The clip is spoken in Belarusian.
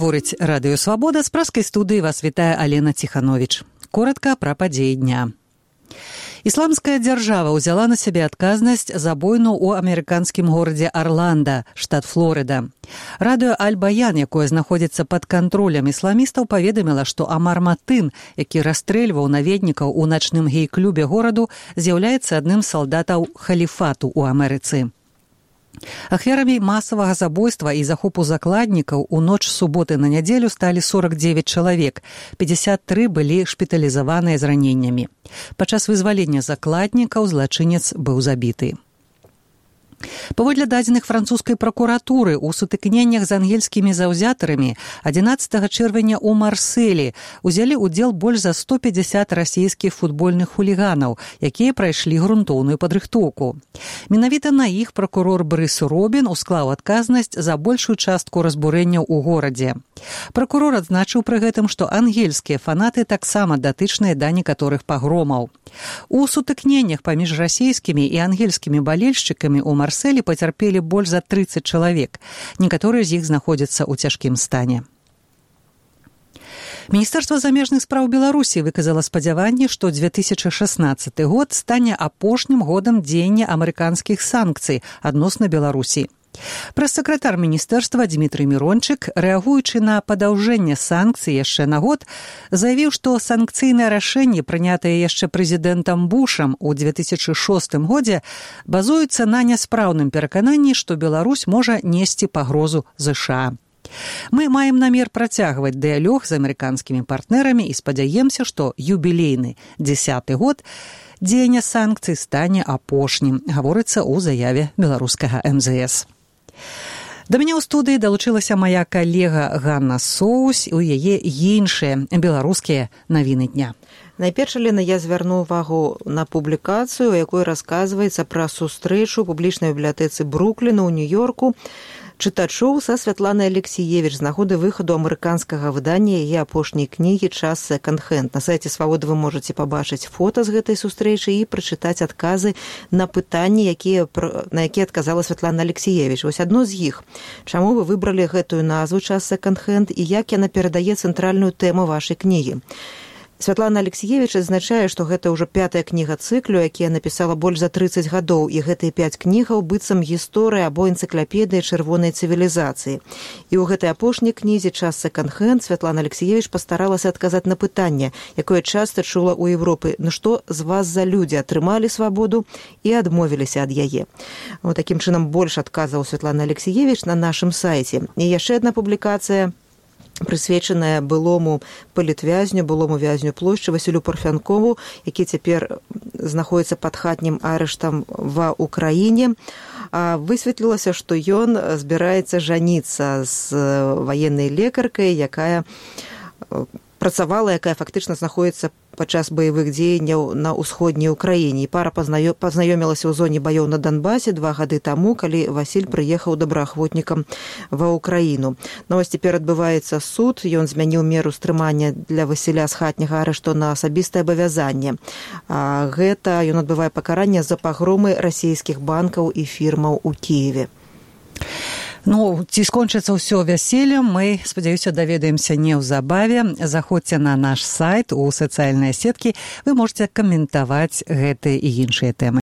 Гаворыць Радыё Свабода, з праскай студыі вас вітае Алена Ціхановіч. Коротка пра падзеі дня. Ісламская дзяржава ўзяла на сябе адказнасць за бойну ў амерыканскім горадзе Арланда, штат Флорыда. Радыё Аль-Баян, якое знаходзіцца пад кантролем ісламістаў, паведаміла, што Амар Матын, які расстрэльваў наведнікаў у начным гей-клубе гораду, з'яўляецца адным з салдатаў халіфату ў Амерыцы. Ахвярамі масавага забойства і захопу закладнікаў у ноч суботы на нядзелю сталі 49 чалавек, 53 былі шпіталізаваныя з раненнямі. Падчас вызвалення закладнікаў злачынец быў забіты. Паводле дадзеных французскай пракуратуры, у сутыкненнях з ангельскімі заўзятарамі 11 чэрвеня ў Марселі узялі ўдзел больш за 150 расійскіх футбольных хуліганаў, якія прайшлі грунтоўную падрыхтоўку. Менавіта на іх пракурор Брыс Робін усклаў адказнасць за большую частку разбурэнняў у горадзе. Пракурор адзначыў пры гэтым, што ангельскія фанаты таксама датычныя да некаторых пагромаў. У сутыкненнях паміж расійскімі і ангельскімі балельшчыкамі ў Марселі пацярпелі больш за 30 чалавек. Некаторыя з іх знаходзяцца ў цяжкім стане. Міністэрства замежных спраў Беларусі выказала спадзяванне, што 2016 год стане апошнім годам дзеяння амерыканскіх санкцый адносна Беларусі. Прэс-сакратар міністэрства Дмітрый Мірончык, рэагуючы на падаўжэнне санкцый яшчэ на год, заявіў, што санкцыйнае рашэнне, прынятае яшчэ прэзідэнтам Бушам у 2006 годзе, базуецца на няспраўным перакананні, што Беларусь можа несці пагрозу ЗША. Мы маем намер працягваць дыялог з амерыканскімі партнерамі і спадзяемся, што юбілейны 10-й год дзеяння санкцый стане апошнім, гаворыцца ў заяве беларускага МЗС. Да мяне ў студыі далучылася мая калега Ганна Соус, у яе іншыя беларускія навіны дня. Найперш, Лена, я звярну увагу на публікацыю, у якой расказваецца пра сустрэчу у публічнай бібліятэцы Брукліна ў Нью-Йорку чытачоў са Святланай Алексіевіч з нагоды выхаду амерыканскага выдання яе апошняй кнігі «Час секонд-хенд». На сайце Свабоды вы можаце пабачыць фота з гэтай сустрэчы і прачытаць адказы на пытанні, на якія адказала Святлана Алексіевіч. Вось адно з іх. Чаму вы выбралі гэтую назву «Час секонд-хенд» і як яна перадае цэнтральную тэму вашай кнігі? Святлана Алексіевіч адзначае, што гэта ўжо 5-я кніга цыклю, якія напісала больш за 30 гадоў, і гэтыя 5 кнігаў быццам гісторыя або энцыклапедыя чырвонай цывілізацыі. І ў гэтай апошняй кнізе «Час секонд-хенд» Святлана Алексіевіч пастаралася адказаць на пытанне, якое часта чула ў Европы: ну што з вас за людзі атрымалі свабоду і адмовіліся ад яе. Вот такім чынам больш адказаў Святлана Алексіевіч на нашым сайце. І яшчэ адна публікацыя, прысвечаная былому палітвязню, былому вязню плошчы Васілю Парфянкову, які цяпер знаходзіцца пад хатнім арыштам ва Ўкраіне. Высветлілася, што ён збіраецца жаніцца з ваеннай лекаркай, якая працавала, якая фактычна знаходзіцца падчас баявых дзеянняў на ўсходняй Украіне. І пара пазнаёмілася ў зоне баёў на Донбасе 2 гады таму, калі Васіль прыехаў добраахвотнікам ва Ўкраіну. Ну, вось цяпер адбываецца суд, ён змяніў меру стрымання для Васіля з хатняга арышту на асабістае абавязанне. Гэта ён адбывае пакаранне за пагромы расійскіх банкаў і фірмаў у Кіеве. Ну, ці скончыцца ўсё вяселлем, мы, спадзяюся, даведаемся неўзабаве. Заходзьце на наш сайт, у сацыяльныя сеткі, вы можаце каментаваць гэтыя і іншыя тэмы.